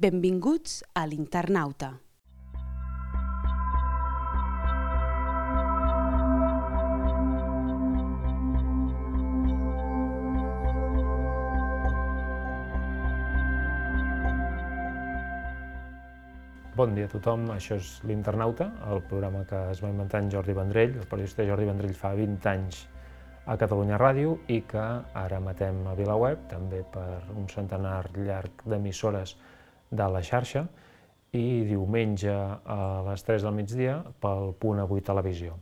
Benvinguts a l'Internauta. Bon dia a tothom, això és l'Internauta, el programa que es va inventar en Jordi Vendrell. El periodista Jordi Vendrell fa 20 anys a Catalunya Ràdio i que ara emetem a VilaWeb, també per un centenar llarg d'emissores de la xarxa, i diumenge a les 3 del migdia pel Punt Avui Televisió.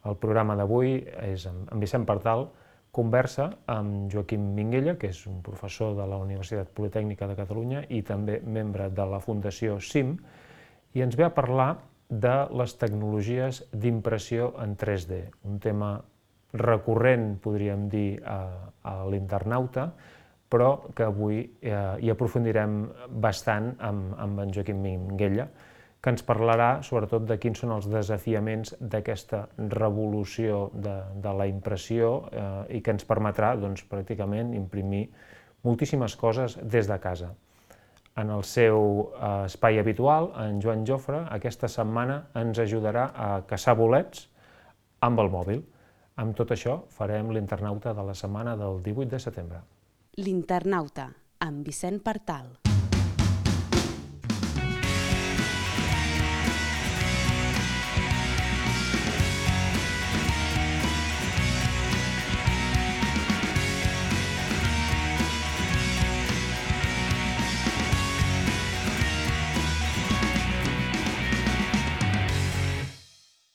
El programa d'avui és amb Vicent Partal, conversa amb Joaquim Minguella, que és un professor de la Universitat Politècnica de Catalunya i també membre de la Fundació CIM, i ens ve a parlar de les tecnologies d'impressió en 3D, un tema recurrent, podríem dir, a l'Internauta, però que avui hi aprofundirem bastant amb en Joaquim Minguella, que ens parlarà sobretot de quins són els desafiaments d'aquesta revolució de la impressió i que ens permetrà, doncs, pràcticament imprimir moltíssimes coses des de casa. En el seu espai habitual, en Joan Jofre, aquesta setmana ens ajudarà a caçar bolets amb el mòbil. Amb tot això farem l'Internauta de la setmana del 18 de setembre. L'Internauta, amb Vicent Partal.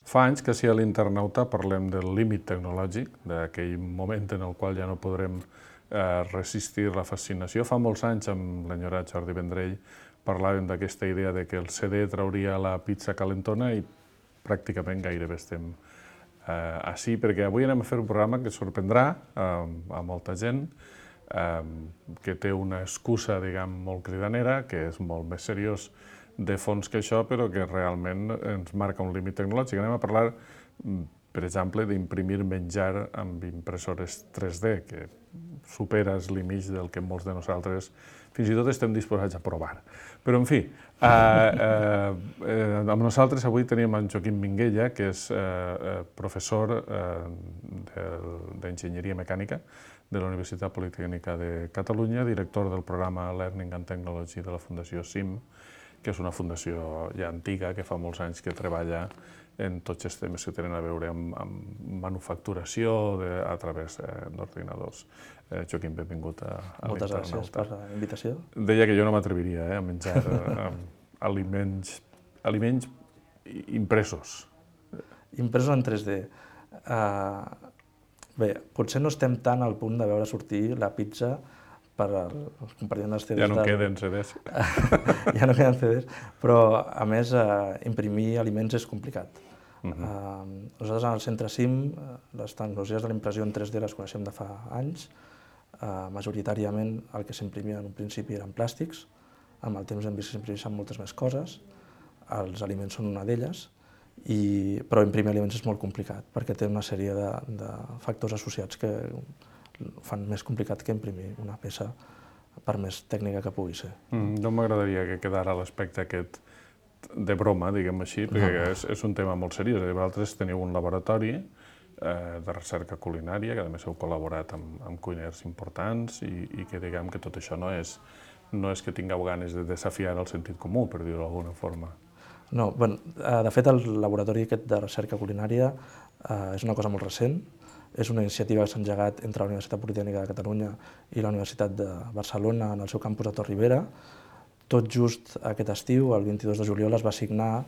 Fa anys que si a l'Internauta parlem del límit tecnològic, d'aquell moment en el qual ja no podrem resistir la fascinació. Fa molts anys, amb l'enyorat Jordi Vendrell, parlàvem d'aquesta idea de que el CD trauria la pizza calentona i pràcticament gairebé estem així, perquè avui anem a fer un programa que sorprendrà a molta gent, que té una excusa, diguem, molt cridanera, que és molt més seriós de fons que això, però que realment ens marca un límit tecnològic. Anem a parlar, per exemple, d'imprimir menjar amb impressores 3D, que supera els límits del que molts de nosaltres fins i tot estem disposats a provar. Però, en fi, amb nosaltres avui tenim en Joaquim Minguella, que és professor d'Enginyeria Mecànica de la Universitat Politècnica de Catalunya, director del programa Learning and Technology de la Fundació CIM, que és una fundació ja antiga, que fa molts anys que treballa en tots els temes que tenen a veure amb manufacturació a través d'ordinadors. Joaquim, benvingut a l'Internauta. Moltes gràcies per la invitació. Deia que jo no m'atreviria a menjar aliments impresos. Impresos en 3D. Bé, potser no estem tan al punt de veure sortir la pizza per als compartiments dels CDs. Ja no queden CDs. Ja no queden CDs, però a més imprimir aliments és complicat. Nosaltres en el centre CIM les tecnologies de la impressió en 3D les coneixem de fa anys. Majoritàriament el que s'imprimia en un principi eren plàstics, amb el temps hem vist que s'imprimeixen moltes més coses, els aliments són una d'elles, però imprimir aliments és molt complicat perquè té una sèrie de factors associats que fan més complicat que imprimir una peça, per més tècnica que pugui ser. No m'agradaria que quedara l'aspecte aquest de broma, diguem així, perquè és un tema molt seriós. Vosaltres teniu un laboratori de recerca culinària, que a més heu col·laborat amb cuiners importants i que diguem que tot això no és que tingueu ganes de desafiar el sentit comú, per dir-ho d'alguna forma. No, de fet el laboratori aquest de recerca culinària és una cosa molt recent. És una iniciativa que s'ha engegat entre la Universitat Politècnica de Catalunya i la Universitat de Barcelona en el seu campus de Torre-Ibera. Tot just aquest estiu, el 22 de juliol, es va signar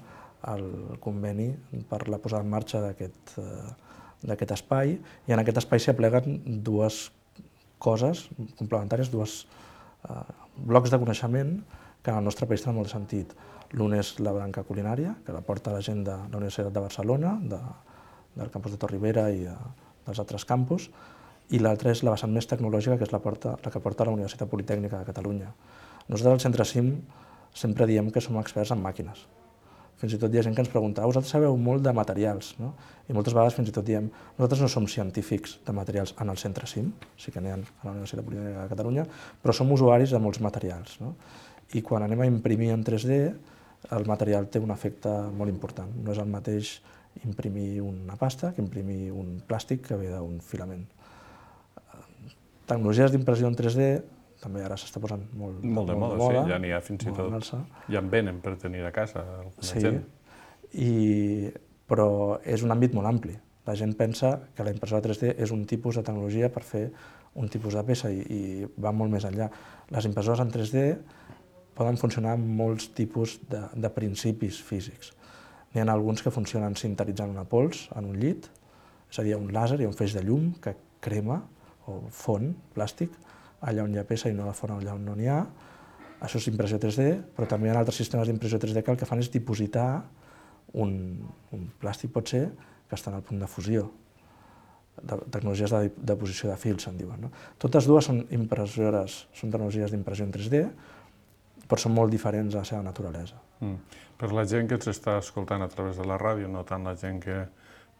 el conveni per la posada en marxa d'aquest espai, i en aquest espai s'hi apleguen dues coses complementàries, dos blocs de coneixement que en el nostre país tenen molt de sentit. L'un és la branca culinària, que la porta la gent de la Universitat de Barcelona, del campus de Torre-Ibera i dels altres campus, i l'altra és la vessant més tecnològica, que és la que porta la Universitat Politècnica de Catalunya. Nosaltres al centre CIM sempre diem que som experts en màquines. Fins i tot hi ha gent que ens pregunta, vosaltres sabeu molt de materials, no? I moltes vegades fins i tot diem, nosaltres no som científics de materials en el centre CIM, sí que n'hi ha a la Universitat Politècnica de Catalunya, però som usuaris de molts materials, no? i quan anem a imprimir en 3D, el material té un efecte molt important. No és el mateix imprimir una pasta que imprimir un plàstic que ve d'un filament. Tecnologies d'impressió en 3D també ara s'està posant molt de moda. Sí, ja n'hi ha fins i tot. Ja en venen per tenir a casa alguna gent. Però és un àmbit molt ampli. La gent pensa que la impressora 3D és un tipus de tecnologia per fer un tipus de peça i va molt més enllà. Les impressores en 3D poden funcionar amb molts tipus de principis físics. N'hi ha alguns que funcionen sintetitzant una pols en un llit, és a dir, un làser i un feix de llum que crema o fon plàstic allà on hi ha peça i no la fon allà on no n'hi ha. Això és impressió 3D, però també hi ha altres sistemes d'impressió 3D que el que fan és dipositar un plàstic, pot ser, que està en el punt de fusió. Tecnologies de deposició de fils, se'n diuen. Totes dues són tecnologies d'impressió en 3D, però són molt diferents a la seva naturalesa. Per la gent que ens està escoltant a través de la ràdio, no tant la gent que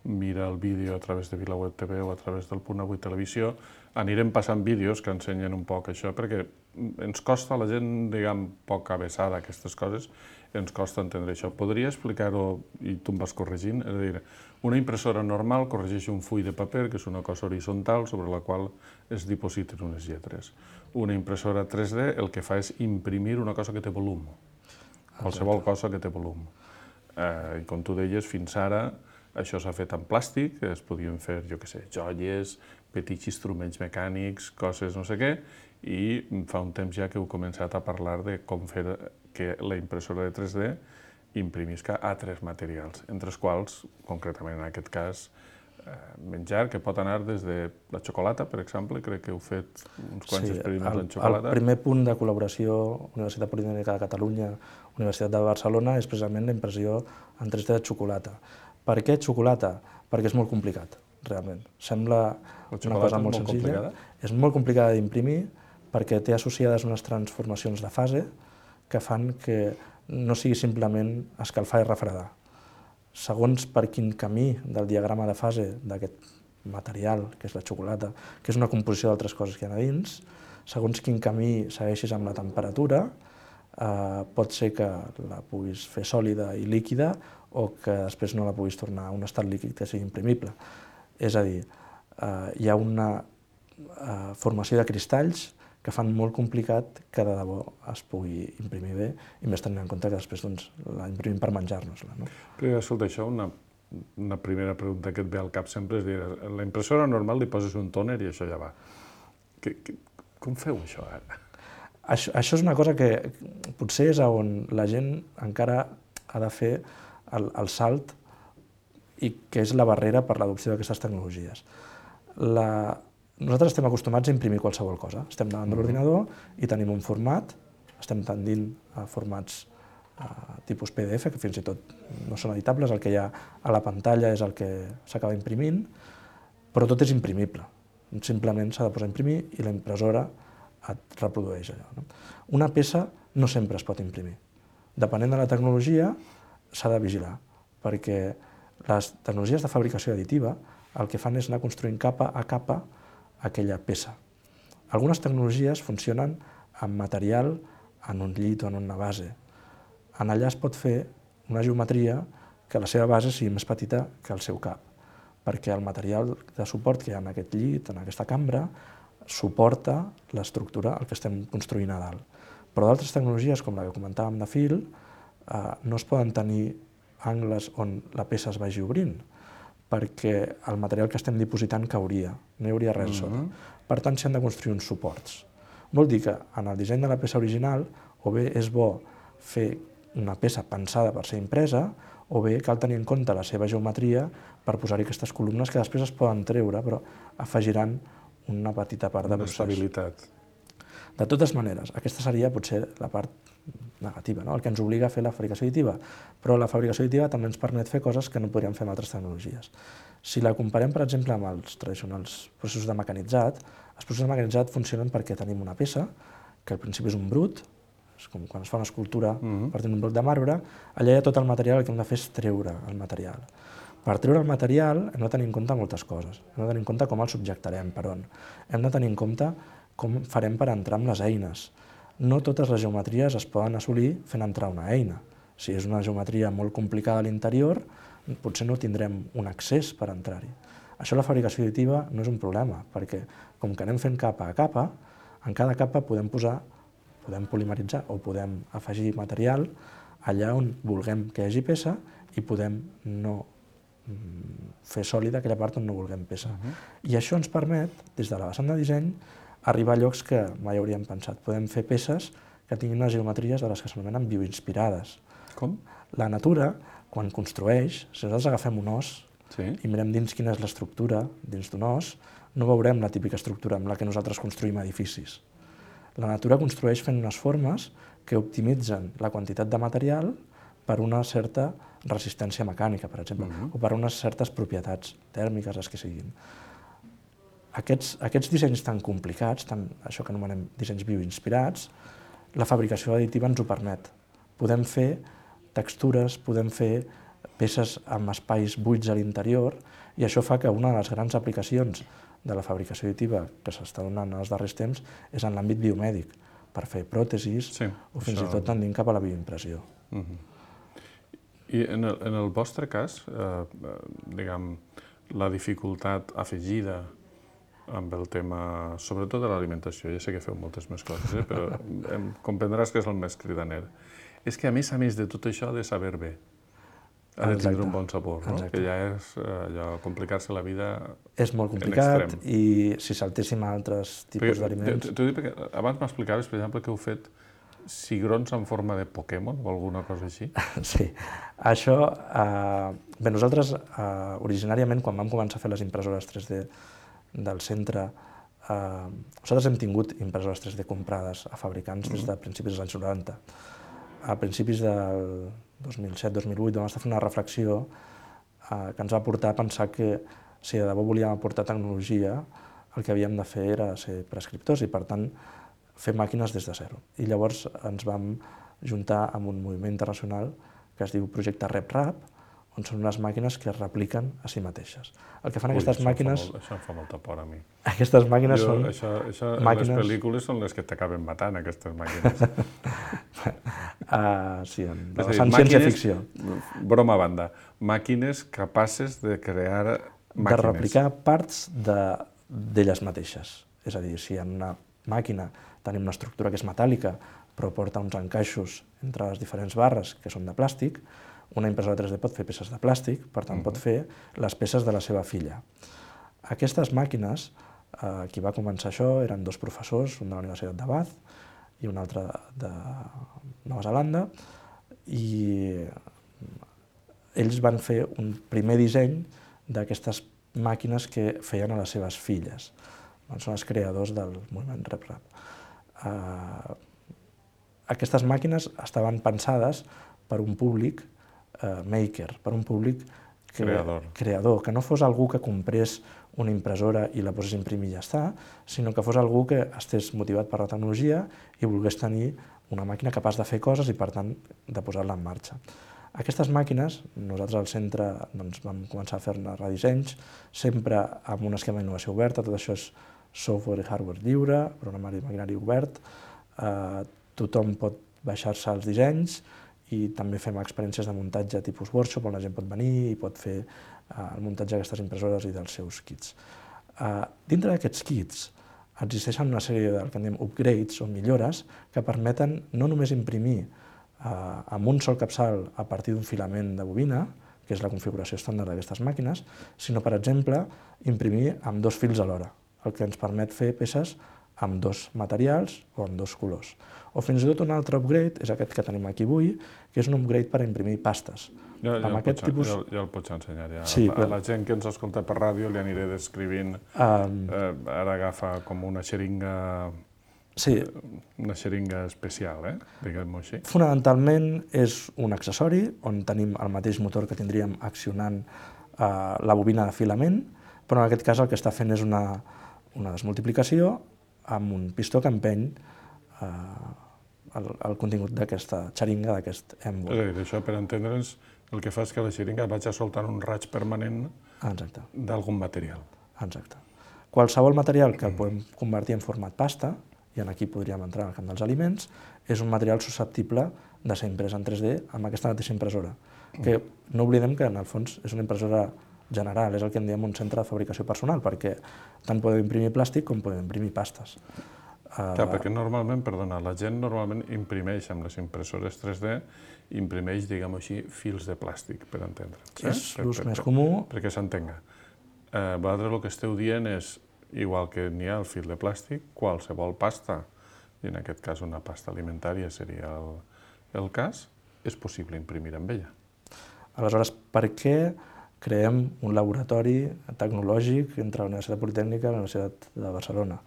mira el vídeo a través de VilaWeb TV o a través del Punt Avui Televisió, anirem passant vídeos que ensenyen un poc això, perquè ens costa, la gent, diguem, poc avesada a aquestes coses, ens costa entendre això. Podria explicar-ho, i tu em vas corregint, és a dir, una impressora normal corregeix un full de paper, que és una cosa horitzontal sobre la qual es dipositen unes lletres. Una impressora 3D el que fa és imprimir una cosa que té volum, qualsevol cosa que té volum. I com tu deies, fins ara això s'ha fet en plàstic, es podien fer, jo què sé, joies, petits instruments mecànics, coses no sé què, i fa un temps ja que heu començat a parlar de com fer que la impressora de 3D imprimisca altres materials, entre els quals, concretament en aquest cas, menjar, que pot anar des de la xocolata, per exemple, crec que heu fet uns quants experiments en xocolata. El primer punt de col·laboració Universitat Politècnica de Catalunya, Universitat de Barcelona, és precisament la impressió en 3D de xocolata. Per què xocolata? Perquè és molt complicat, realment. Sembla una cosa molt senzilla. És molt complicada d'imprimir perquè té associades unes transformacions de fase que fan que no sigui simplement escalfar i refredar. Segons per quin camí del diagrama de fase d'aquest material, que és la xocolata, que és una composició d'altres coses que hi ha a dins, segons quin camí segueixis amb la temperatura, pot ser que la puguis fer sòlida i líquida o que després no la puguis tornar a un estat líquid que sigui imprimible. És a dir, hi ha una formació de cristalls que fan molt complicat que de debò es pugui imprimir bé, i més tenint en compte que després la imprimim per menjar-nos-la. Però, escolta, això, una primera pregunta que et ve al cap sempre és dir, a la impressora normal li poses un tòner i això ja va. Com feu això ara? Això és una cosa que potser és on la gent encara ha de fer el salt i que és la barrera per l'adopció d'aquestes tecnologies. Nosaltres estem acostumats a imprimir qualsevol cosa. Estem davant de l'ordinador i tenim un format, estem tendint a formats tipus PDF, que fins i tot no són editables, el que hi ha a la pantalla és el que s'acaba imprimint, però tot és imprimible. Simplement s'ha de posar a imprimir i la impressora et reprodueix allò. Una peça no sempre es pot imprimir. Depenent de la tecnologia, s'ha de vigilar, perquè les tecnologies de fabricació additiva el que fan és anar construint capa a capa aquella peça. Algunes tecnologies funcionen amb material en un llit o en una base. En allà es pot fer una geometria que la seva base sigui més petita que el seu cap, perquè el material de suport que hi ha en aquest llit, en aquesta cambra, suporta l'estructura, el que estem construint a dalt. Però d'altres tecnologies, com la que comentàvem de fil, no es poden tenir angles on la peça es vagi obrint, perquè el material que estem dipositant cauria, no hi hauria res sota. Per tant, s'han de construir uns suports. Vol dir que en el disseny de la peça original o bé és bo fer una peça pensada per ser impresa, o bé cal tenir en compte la seva geometria per posar-hi aquestes columnes que després es poden treure, però afegiran una petita part de procés. Estabilitat. De totes maneres, aquesta seria potser la part negativa, el que ens obliga a fer la fabricació additiva, però la fabricació additiva també ens permet fer coses que no podríem fer amb altres tecnologies. Si la comparem, per exemple, amb els tradicionals processos de mecanitzat, els processos de mecanitzat funcionen perquè tenim una peça, que al principi és un brut, és com quan es fa una escultura partint d'un bloc de marbre, allà hi ha tot el material, el que hem de fer és treure el material. Per treure el material hem de tenir en compte moltes coses. Hem de tenir en compte com el subjectarem, per on. Hem de tenir en compte com farem per entrar amb les eines. no totes les geometries es poden assolir fent entrar una eina. Si és una geometria molt complicada a l'interior, potser no tindrem un accés per entrar-hi. Això la fabricació additiva no és un problema, perquè com que anem fent capa a capa, en cada capa podem polimeritzar o podem afegir material allà on vulguem que hi hagi peça i podem no fer sòlida aquella part on no vulguem peça. I això ens permet, des de la vessant de disseny, arribar a llocs que mai hauríem pensat. Podem fer peces que tinguin unes geometries de les que s'anomenen bioinspirades. Com? La natura, quan construeix, si nosaltres agafem un os i mirem dins quina és l'estructura dins d'un os, no veurem la típica estructura amb la que nosaltres construïm edificis. La natura construeix fent unes formes que optimitzen la quantitat de material per una certa resistència mecànica, per exemple, o per unes certes propietats tèrmiques, les que siguin. Aquests dissenys tan complicats, això que anomenem dissenys bioinspirats, la fabricació additiva ens ho permet. Podem fer textures, podem fer peces amb espais buits a l'interior, i això fa que una de les grans aplicacions de la fabricació additiva que s'està donant en els darrers temps és en l'àmbit biomèdic, per fer pròtesis o fins i tot tendint cap a la bioimpressió. I en el vostre cas, diguem, la dificultat afegida amb el tema, sobretot de l'alimentació, ja sé que feu moltes més coses, però comprendràs que és el més cridaner, és que a més de tot això ha de saber bé, ha de tindre un bon sabor, no? Que ja és complicar-se la vida en extrem. És molt complicat i si saltéssim a altres tipus d'aliments... T'ho dic perquè abans m'explicaves, per exemple, que heu fet cigrons en forma de Pokémon o alguna cosa així? Sí. Això... Bé, nosaltres, originàriament, quan vam començar a fer les impressores 3D del centre, nosaltres hem tingut impressores 3D comprades a fabricants des de principis dels anys 90. A principis del 2007-2008 vam estar fent una reflexió que ens va portar a pensar que si de debò volíem aportar tecnologia, el que havíem de fer era ser prescriptors i, per tant, fer màquines des de zero. I llavors ens vam juntar amb un moviment internacional que es diu Projecte RepRap, on són unes màquines que es repliquen a si mateixes. El que fan aquestes màquines... Això em fa molta por a mi. Aquestes màquines són... Les pel·lícules són les que t'acaben matant, aquestes màquines. Sí, en ciència-ficció. Broma a banda, màquines capaces de crear màquines. De replicar parts d'elles mateixes. És a dir, si en una màquina tenim una estructura que és metàl·lica, però porta uns encaixos entre les diferents barres que són de plàstic, una impressora 3D pot fer peces de plàstic, per tant pot fer les peces de la seva filla. Aquestes màquines, qui va començar això, eren dos professors, un de la Universitat de Bath i un altre de Nova Zelanda, i ells van fer un primer disseny d'aquestes màquines que feien a les seves filles. Són els creadors del moviment RepRap. Aquestes màquines estaven pensades per un públic maker, per un públic creador, que no fos algú que comprés una impressora i la posés a imprimir i ja està, sinó que fos algú que estés motivat per la tecnologia i volgués tenir una màquina capaç de fer coses i, per tant, de posar-la en marxa. Aquestes màquines, nosaltres al centre vam començar a fer-ne redissenys, sempre amb un esquema d'innovació oberta, tot això és software i hardware lliure, programari i maquinari obert, tothom pot baixar-se els dissenys i també fem experiències de muntatge tipus workshop on la gent pot venir i pot fer el muntatge d'aquestes impressores i dels seus kits. Dintre d'aquests kits existeixen una sèrie del que en diem upgrades o millores que permeten no només imprimir amb un sol capçal a partir d'un filament de bobina, que és la configuració estàndard d'aquestes màquines, sinó, per exemple, imprimir amb dos fils alhora, el que ens permet fer peces amb dos materials o amb dos colors. O fins i tot un altre upgrade, és aquest que tenim aquí avui, que és un upgrade per imprimir pastes. Ja el pots ensenyar. A la gent que ens escolta per ràdio li aniré descrivint. Ara agafa com una xeringa especial, diguem-ho així. Fonamentalment és un accessori on tenim el mateix motor que tindríem accionant la bobina de filament, però en aquest cas el que està fent és una desmultiplicació amb un pistó que empeny el contingut d'aquesta xeringa, d'aquest èmbol. És a dir, això per entendre'ns, el que fa és que la xeringa vagi soltant un raig permanent d'algun material. Exacte. Qualsevol material que el podem convertir en format pasta i aquí podríem entrar al camp dels aliments, és un material susceptible de ser imprès en 3D amb aquesta mateixa impressora, que no oblidem que en el fons és una impressora general, és el que en diem un centre de fabricació personal, perquè tant podem imprimir plàstic com podem imprimir pastes. Clar, perquè normalment, perdona, la gent normalment imprimeix amb les impressores 3D, imprimeix, diguem-ho així, fils de plàstic, per entendre'ns. És l'ús més comú. Perquè s'entenga. Vosaltres el que esteu dient és, igual que n'hi ha el fil de plàstic, qualsevol pasta, i en aquest cas una pasta alimentària seria el cas, és possible imprimir amb ella. Aleshores, per què creem un laboratori tecnològic entre la Universitat Politècnica i la Universitat de Barcelona?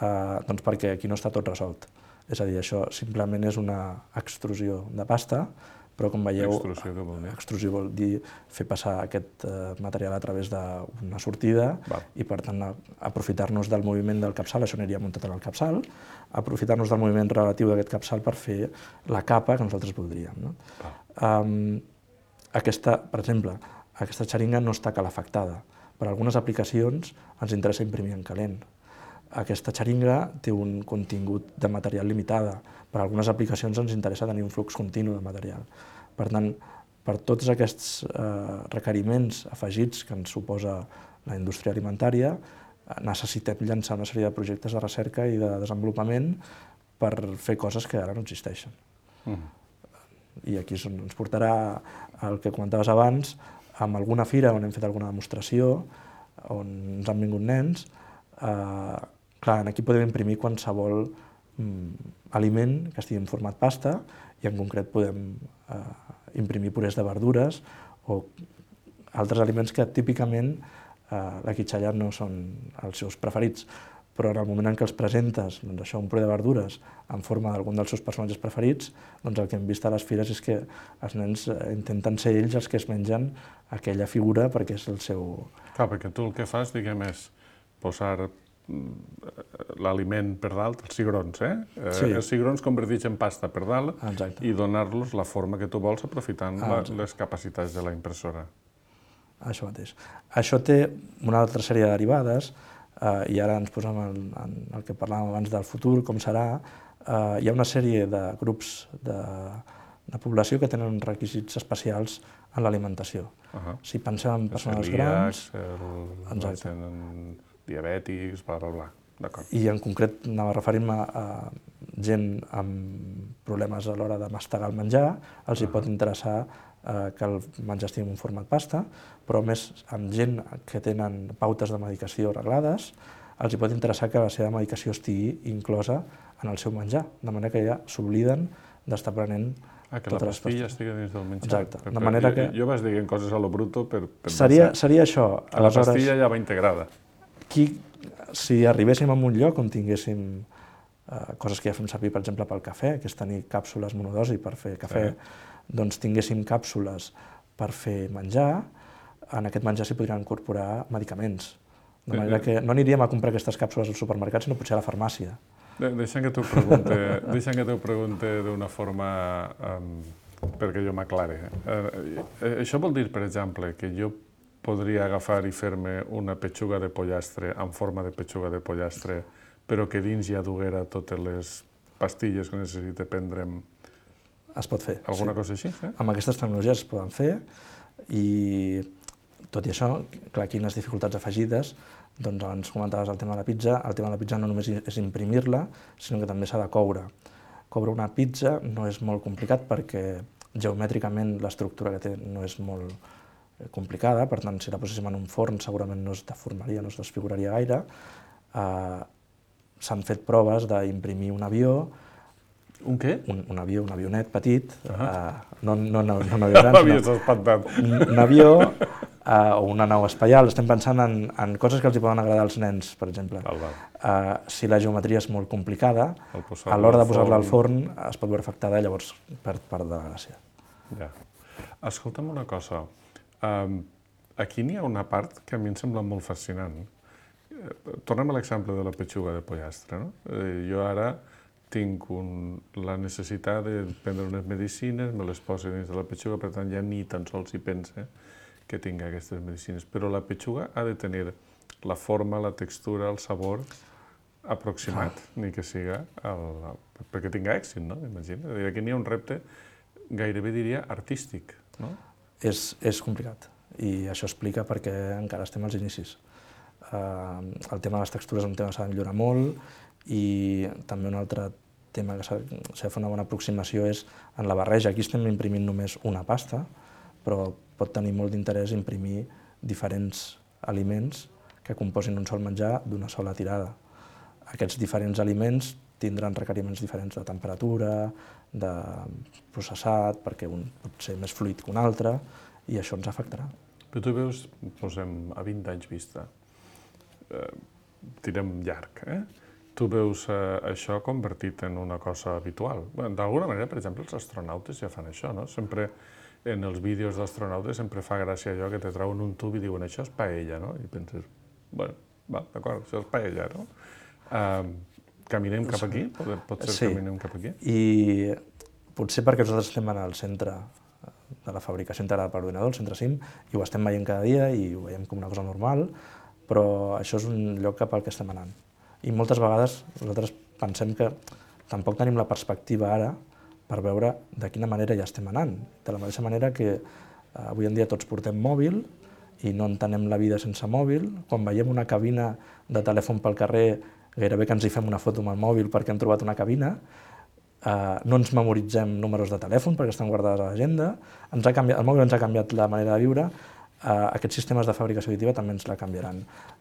Doncs perquè aquí no està tot resolt. És a dir, això simplement és una extrusió de pasta, però com veieu, Extrusió, què vol dir? Extrusió vol dir fer passar aquest material a través d'una sortida i, per tant, aprofitar-nos del moviment del capçal, això aniria muntat en el capçal, aprofitar-nos del moviment relatiu d'aquest capçal per fer la capa que nosaltres voldríem. No? Per exemple, aquesta xeringa no està calefactada. Per a algunes aplicacions ens interessa imprimir en calent. Aquesta xeringa té un contingut de material limitada. Per a algunes aplicacions ens interessa tenir un flux continu de material. Per tant, per tots aquests requeriments afegits que ens suposa la indústria alimentària, necessitem llançar una sèrie de projectes de recerca i de desenvolupament per fer coses que ara no existeixen. I aquí ens portarà el que comentaves abans, amb alguna fira on hem fet alguna demostració, on ens han vingut nens. Clar, aquí podem imprimir qualsevol aliment que estigui en format pasta i en concret podem imprimir purés de verdures o altres aliments que típicament la quitxalla no són els seus preferits, però en el moment en què els presentes, doncs això, un puré de verdures en forma d'algun dels seus personatges preferits, doncs el que hem vist a les fires és que els nens intenten ser ells els que es mengen aquella figura perquè és el seu... Clar, perquè tu el que fas, diguem, és posar l'aliment per dalt, els cigrons, Sí. Els cigrons convertits en pasta per dalt i donar-los la forma que tu vols aprofitant les capacitats de la impressora. Això mateix. Això té una altra sèrie de derivades i ara ens posem en el que parlàvem abans del futur, com serà. Hi ha una sèrie de grups de població que tenen requisits especials en l'alimentació. Si pensem en persones grans... Els tenen diabètics, bla, bla, bla. D'acord. I en concret anava a referir-me a gent amb problemes a l'hora de mastegar el menjar, els hi pot interessar que el menjar estigui en un format pasta, però més amb gent que tenen pautes de medicació reglades, els hi pot interessar que la seva medicació estigui inclosa en el seu menjar, de manera que ja s'obliden d'estar prenent que la pastilla estigui dins del menjar. Exacte. De manera que... Jo vas dient coses a lo bruto per Seria això. Que la pastilla ja va integrada. Si arribéssim a un lloc on tinguéssim coses que ja fem servir, per exemple, pel cafè, que és tenir càpsules monodosi per fer cafè, doncs tinguéssim càpsules per fer menjar, en aquest menjar s'hi podrien incorporar medicaments. De manera que no aniríem a comprar aquestes càpsules al supermercat, sinó potser a la farmàcia. Deixa'm que t'ho pregunte d'una forma perquè jo m'aclare. Això vol dir, per exemple, que jo podria agafar i fer-me una petxuga de pollastre en forma de petxuga de pollastre, però que dins ja duguera totes les pastilles que necessita prendre'm. Es pot fer. Alguna cosa així? Amb aquestes tecnologies es poden fer i, tot i això, clar, aquí hi ha unes dificultats afegides. Doncs abans comentaves el tema de la pizza. El tema de la pizza no només és imprimir-la, sinó que també s'ha de coure. Coure una pizza no és molt complicat perquè geomètricament l'estructura que té no és molt complicada, per tant, si la poséssim en un forn segurament no es deformaria, no es desfiguraria gaire. S'han fet proves d'imprimir un avió. Un què? Un avió, un avionet petit, no un avió gran, M'havies espantat. Un avió o una nau espacial. Estem pensant en coses que els poden agradar als nens, per exemple. Si la geometria és molt complicada, a l'hora de posar-la al forn es pot veure afectada i llavors perd part de la gràcia. Escolta'm una cosa. Aquí n'hi ha una part que a mi em sembla molt fascinant. Tornem a l'exemple de la petxuga de pollastre. Jo ara tinc la necessitat de prendre unes medicines, me les poso dins de la petxuga, per tant ja ni tan sols hi pense que tingui aquestes medicines. Però la petxuga ha de tenir la forma, la textura, el sabor aproximat, ni que siga perquè tinga èxit, no? Imagina. Aquí n'hi ha un repte, gairebé diria, artístic, no? És complicat i això explica perquè encara estem als inicis. El tema de les textures és un tema que s'ha de millorar molt i també un altre tema que s'ha de fer una bona aproximació és en la barreja. Aquí estem imprimint només una pasta, però pot tenir molt d'interès imprimir diferents aliments que composin un sol menjar d'una sola tirada. Aquests diferents aliments tindran requeriments diferents de temperatura, de processat, perquè un pot ser més fluid que un altre, i això ens afectarà. Però tu veus, posem a 20 anys vista, tirem llarg, tu veus això convertit en una cosa habitual. D'alguna manera, per exemple, els astronautes ja fan això, no? Sempre en els vídeos d'astronautes sempre fa gràcia allò que te trauen un tub i diuen això és paella, no? I penses, bueno, va, d'acord, això és paella, no? Caminem cap aquí? Pot ser que caminem cap aquí? I potser perquè nosaltres estem al centre de la fabricació integrada per ordinador, el centre CIM, i ho estem veient cada dia i ho veiem com una cosa normal, però això és un lloc cap al que estem anant. I moltes vegades nosaltres pensem que tampoc tenim la perspectiva ara per veure de quina manera ja estem anant. De la mateixa manera que avui en dia tots portem mòbil i no entenem la vida sense mòbil. Quan veiem una cabina de telèfon pel carrer, gairebé que ens hi fem una foto amb el mòbil perquè hem trobat una cabina, no ens memoritzem números de telèfon perquè estan guardades a l'agenda, el mòbil ens ha canviat la manera de viure, aquests sistemes de fabricació additiva també ens la canviaran.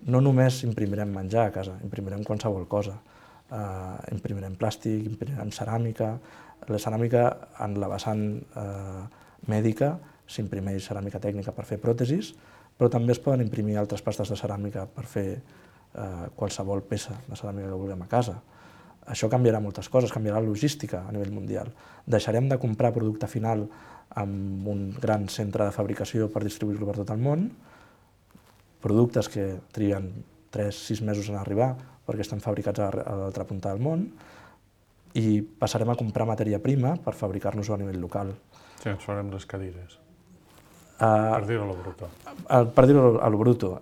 No només imprimirem menjar a casa, imprimirem qualsevol cosa. Imprimirem plàstic, imprimirem ceràmica. La ceràmica, en la vessant mèdica, s'imprimeix ceràmica tècnica per fer pròtesis, però també es poden imprimir altres pastes de ceràmica per fer qualsevol peça de ceràmica que vulguem a casa. Això canviarà moltes coses, canviarà la logística a nivell mundial. Deixarem de comprar producte final amb un gran centre de fabricació per distribuir-lo per tot el món, productes que triguen 3-6 mesos en arribar perquè estan fabricats a l'altra punta del món, i passarem a comprar matèria prima per fabricar-nos-ho a nivell local. Sí, ens farem les cadires, per dir-ho a lo bruto. Per dir-ho a lo bruto.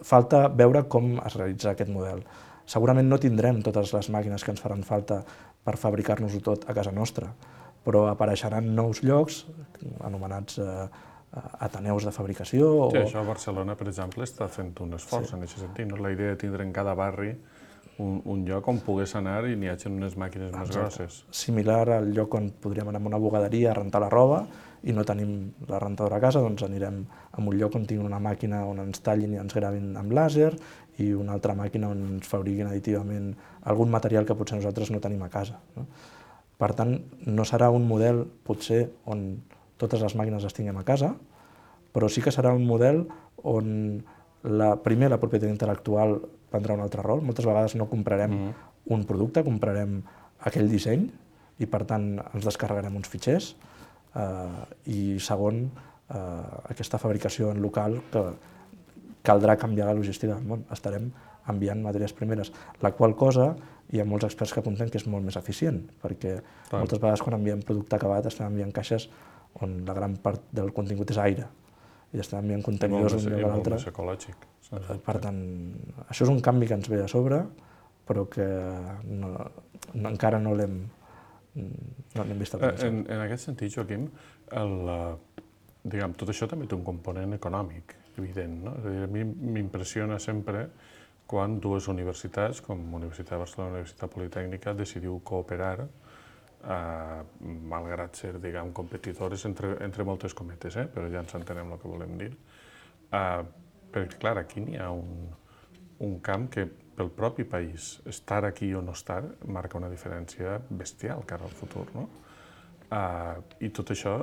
Falta veure com es realitza aquest model. Segurament no tindrem totes les màquines que ens faran falta per fabricar-nos-ho tot a casa nostra, però apareixeran nous llocs, anomenats ateneus de fabricació. Sí, això a Barcelona, per exemple, està fent un esforç en aquest sentit. La idea de tindre en cada barri un lloc on pogués anar i n'hi hagi unes màquines més grosses. Similar al lloc on podríem anar a una bugaderia a rentar la roba i no tenim la rentadora a casa, doncs anirem a un lloc on tinguin una màquina on ens tallin i ens gravin amb làser i una altra màquina on ens fabriquin additivament algun material que potser nosaltres no tenim a casa. Per tant, no serà un model, potser, on totes les màquines les tinguem a casa, però sí que serà un model on primer la propietat intel·lectual prendrà un altre rol. Moltes vegades no comprarem un producte, comprarem aquell disseny i, per tant, ens descarregarem uns fitxers. I segon, aquesta fabricació en local que caldrà canviar la logística del món. Estarem enviant matèries primeres, la qual cosa hi ha molts experts que apunten que és molt més eficient, perquè moltes vegades quan enviem producte acabat estem enviant caixes on la gran part del contingut és aire i estem enviant contenidors d'un lloc a l'altre. Molt més ecològic. Per tant, això és un canvi que ens ve a sobre, però que encara no l'hem vist a plena. En aquest sentit, Joaquim, tot això també té un component econòmic, evident, no? És a dir, a mi m'impressiona sempre quan dues universitats, com Universitat de Barcelona i Universitat Politècnica, decidiu cooperar, malgrat ser, diguem, competidores entre moltes cometes, però ja ens entenem el que volem dir. Perquè, clar, aquí n'hi ha un camp que pel propi país, estar aquí o no estar, marca una diferència bestial cara al futur, no? I tot això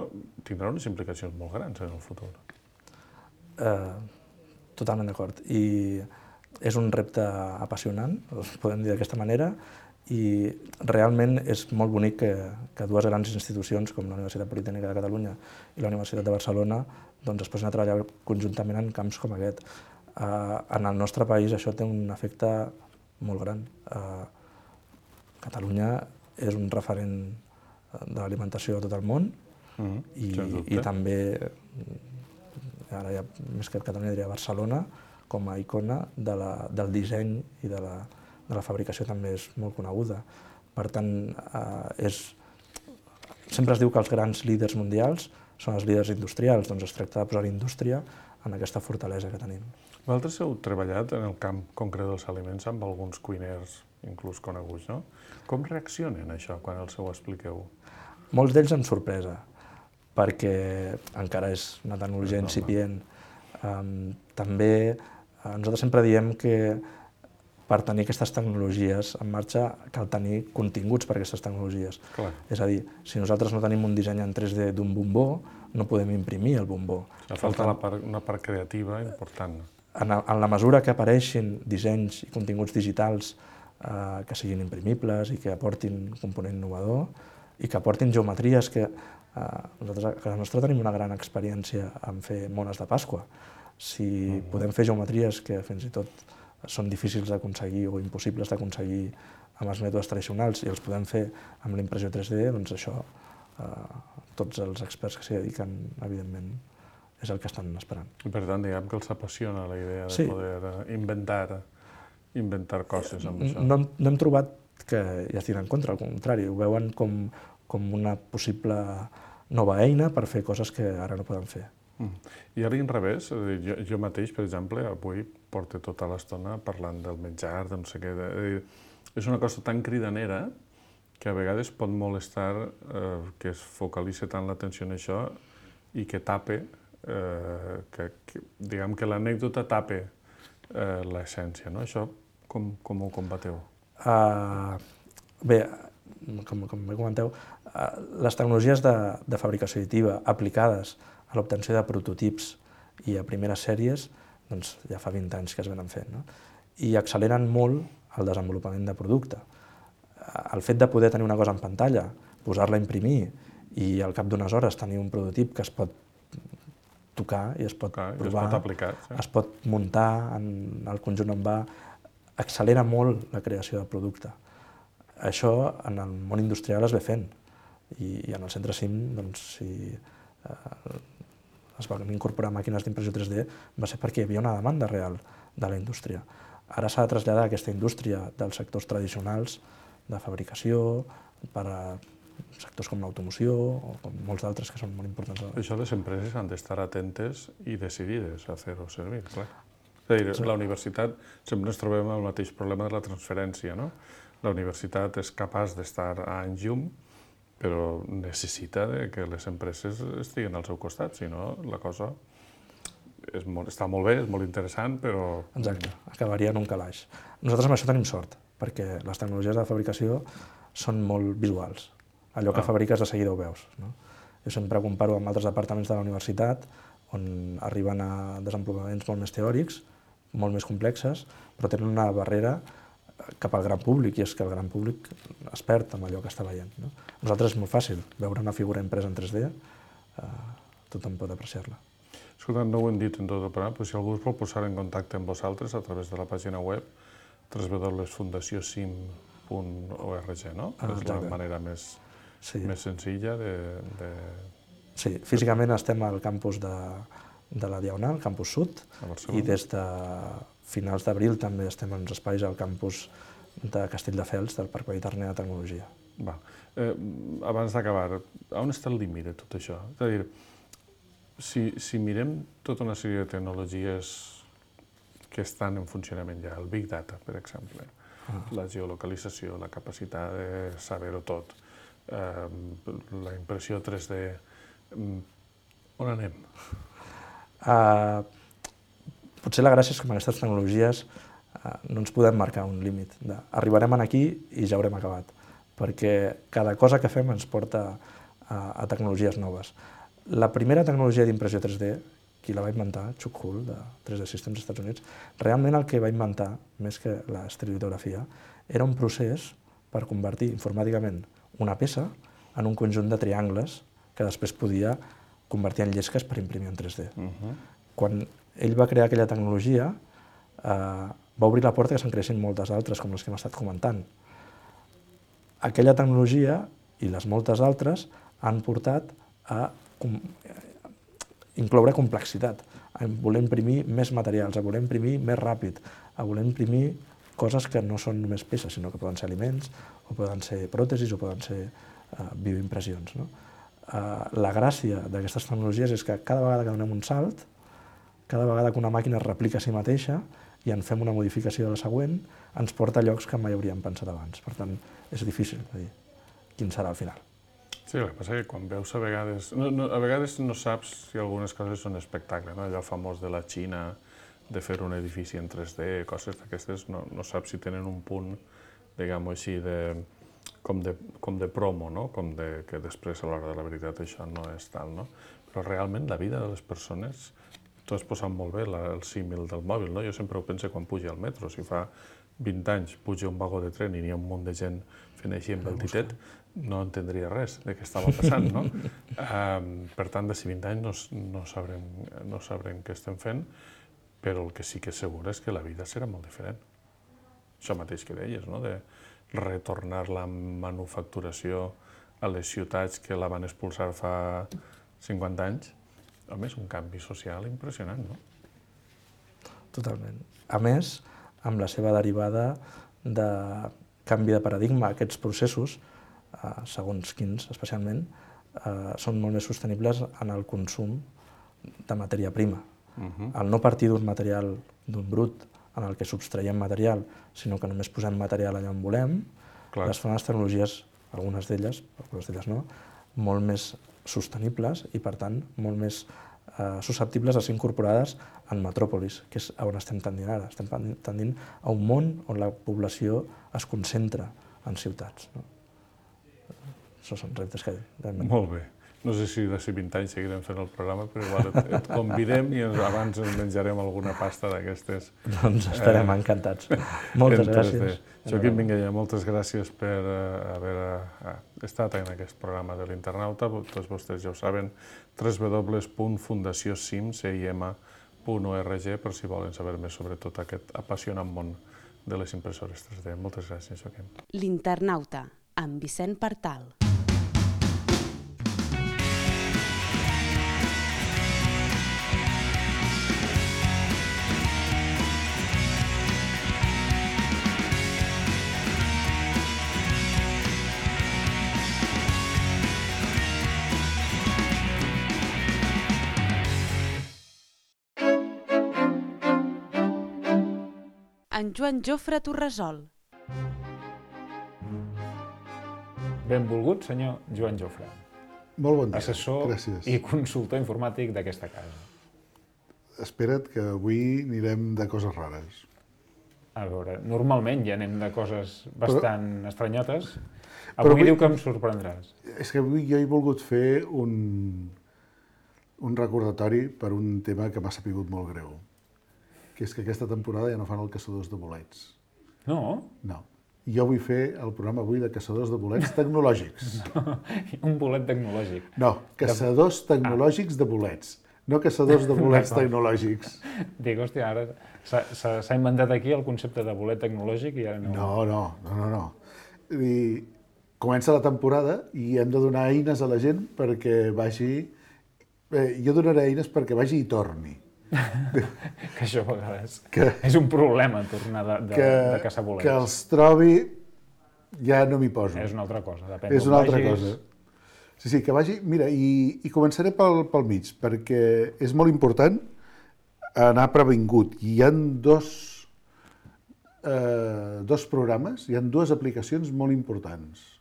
tindrà unes implicacions molt grans en el futur. Totalment d'acord. I és un repte apassionant, podem dir d'aquesta manera, i realment és molt bonic que dues grans institucions com la Universitat Politècnica de Catalunya i la Universitat de Barcelona es posin a treballar conjuntament en camps com aquest. En el nostre país això té un efecte molt gran. Catalunya és un referent de l'alimentació a tot el món i també, ara ja més que Catalunya diria Barcelona, com a icona del disseny i de la de la fabricació també és molt coneguda. Per tant, sempre es diu que els grans líders mundials són els líders industrials, doncs es tracta de posar indústria en aquesta fortalesa que tenim. Vosaltres heu treballat en el camp concret dels aliments amb alguns cuiners, inclús coneguts, no? Com reaccionen a això quan els ho expliqueu? Molts d'ells amb sorpresa, perquè encara és una tecnologia incipient. També nosaltres sempre diem que per tenir aquestes tecnologies en marxa cal tenir continguts per a aquestes tecnologies. Clar. És a dir, si nosaltres no tenim un disseny en 3D d'un bombó, no podem imprimir el bombó. Falta una part creativa important. En la mesura que apareixin dissenys i continguts digitals que siguin imprimibles i que aportin un component innovador i que aportin geometries que nosaltres a casa nostra tenim una gran experiència en fer mones de Pasqua. Si podem fer geometries que fins i tot són difícils d'aconseguir o impossibles d'aconseguir amb els mètodes tradicionals i els podem fer amb la impressió 3D, doncs això tots els experts que s'hi dediquen, evidentment, és el que estan esperant. I per tant, diguem que els apassiona la idea de poder inventar coses amb això. No hem trobat que hi estiguin en contra, al contrari, ho veuen com una possible nova eina per fer coses que ara no poden fer. I a l'inrevés, jo mateix, per exemple, avui porto tota l'estona parlant del menjar, de no sé què. És una cosa tan cridanera que a vegades pot molestar que es focalitzi tant l'atenció en això i que tape, diguem que l'anècdota tape l'essència, no? Això com ho combateu? Bé, com bé comenteu, les tecnologies de fabricació additiva aplicades a l'obtenció de prototips i a primeres sèries, doncs ja fa 20 anys que es venen fent, no? I acceleren molt el desenvolupament de producte. El fet de poder tenir una cosa en pantalla, posar-la a imprimir i al cap d'unes hores tenir un prototip que es pot tocar i es pot provar, es pot aplicar, es pot muntar en el conjunt on va, accelera molt la creació de producte. Això en el món industrial es ve fent i en el centre CIM, doncs, si es van incorporar màquines d'impressió 3D va ser perquè hi havia una demanda real de la indústria. Ara s'ha de traslladar aquesta indústria dels sectors tradicionals de fabricació per a sectors com l'automoció o com molts d'altres que són molt importants. Això les empreses han d'estar atentes i decidides a fer-ho servir, clar. És a dir, la universitat, sempre ens trobem amb el mateix problema de la transferència, no? La universitat és capaç d'estar a anys llum, però necessita que les empreses estiguin al seu costat, si no la cosa està molt bé, és molt interessant, però... Exacte, acabaria en un calaix. Nosaltres amb això tenim sort, perquè les tecnologies de fabricació són molt visuals. Allò que fabriques de seguida ho veus, no? Jo sempre comparo amb altres departaments de la universitat on arriben a desenvolupaments molt més teòrics, molt més complexes, però tenen una barrera cap al gran públic, i és que el gran públic es perd amb allò que està veient, no? Nosaltres és molt fàcil veure una figura impresa en 3D, tothom pot apreciar-la. Escolta, no ho hem dit en tot el programa, però si algú es vol posar en contacte amb vosaltres a través de la pàgina web www.fundaciosim.org, no? És la manera més senzilla de... Sí, físicament estem al campus de la Diagonal, campus Sud, i des de finals d'abril també estem en uns espais al campus de Castelldefels, del Parc Mediterrani de Tecnologia. Abans d'acabar, on està el límit de tot això? És a dir, si mirem tota una sèrie de tecnologies que estan en funcionament ja, el Big Data, per exemple, la geolocalització, la capacitat de saber-ho tot, la impressió 3D, on anem? Potser la gràcia és que amb aquestes tecnologies no ens podem marcar un límit. Arribarem aquí i ja haurem acabat, perquè cada cosa que fem ens porta a tecnologies noves. La primera tecnologia d'impressió 3D, qui la va inventar, Chuck Hull, de 3D Systems als Estats Units, realment el que va inventar, més que l'estereolitografia, era un procés per convertir informàticament una peça en un conjunt de triangles que després podia convertir en llesques per imprimir en 3D. Quan ell va crear aquella tecnologia, va obrir la porta que se'n creessin moltes altres, com les que hem estat comentant. Aquella tecnologia i les moltes altres han portat a incloure complexitat, a voler imprimir més materials, a voler imprimir més ràpid, a voler imprimir coses que no són només peces, sinó que poden ser aliments, o poden ser pròtesis, o poden ser bioimpressions. La gràcia d'aquestes tecnologies és que cada vegada que donem un salt, cada vegada que una màquina es replica a si mateixa i en fem una modificació de la següent, ens porta a llocs que mai hauríem pensat abans. Per tant, és difícil de dir quin serà el final. Sí, el que passa és que quan veus a vegades no saps si algunes coses són espectacle, no? Allò famós de la Xina, de fer un edifici en 3D, coses d'aquestes, no saps si tenen un punt, diguem-ho així, com de promo, no? Que després, a l'hora de la veritat, això no és tal, no? Però realment la vida de les persones, tu has posat molt bé el símil del mòbil, no? Jo sempre ho penso quan puja al metro. Si fa 20 anys puja un vagó de tren i n'hi ha un munt de gent fent així amb el ditet, no entendria res de què estava passant, no? Per tant, d'ací 20 anys no sabrem què estem fent, però el que sí que és segur és que la vida serà molt diferent. Això mateix que deies, no? De retornar la manufacturació a les ciutats que la van expulsar fa 50 anys. Home, és un canvi social impressionant, no? Totalment. A més, amb la seva derivada de canvi de paradigma, aquests processos, segons quins especialment, són molt més sostenibles en el consum de matèria prima. El no partir d'un material, d'un brut, en el que subtraiem material, sinó que només posem material allà on volem, les fan les tecnologies, algunes d'elles no, molt més sostenibles i, per tant, molt més susceptibles de ser incorporades en metròpolis, que és on estem tendint ara. Estem tendint a un món on la població es concentra en ciutats. Això són reptes que hem de... Molt bé. No sé si d'ací 20 anys seguirem fent el programa, però igual et convidem i abans ens menjarem alguna pasta d'aquestes. Doncs estarem encantats. Moltes gràcies. Joaquim Minguella, moltes gràcies per haver estat en aquest programa de l'Internauta. Tots vostès ja ho saben, www.fundaciocim.org per si volen saber més sobre tot aquest apassionant món de les impressores 3D. Moltes gràcies, Joaquim. L'Internauta, amb Vicent Partal. En Joan Jofre Torresol. Benvolgut, senyor Joan Jofre. Molt bon dia, assessor gràcies. I consultor informàtic d'aquesta casa. Espera't que avui anirem de coses rares. A veure, normalment ja anem de coses bastant estranyotes. Avui diu que em sorprendràs. És que avui jo he volgut fer un recordatori per un tema que m'ha sapigut molt greu, que és que aquesta temporada ja no fan el Caçadors de Bolets. No? No. Jo vull fer el programa avui de Caçadors de Bolets tecnològics. No, un bolet tecnològic. No, Caçadors tecnològics de bolets, no Caçadors de bolets tecnològics. Dic, hòstia, ara s'ha inventat aquí el concepte de bolet tecnològic i ara no... No. I comença la temporada i hem de donar eines a la gent perquè vagi... Jo donaré eines perquè vagi i torni. Que això a vegades és un problema, tornar de caçar bolets. Que els trobi, ja no m'hi poso. És una altra cosa, depèn És una altra cosa. Sí, que vagi... Mira, i començaré pel mig, perquè és molt important anar previngut. I hi ha dos programes, hi ha dues aplicacions molt importants.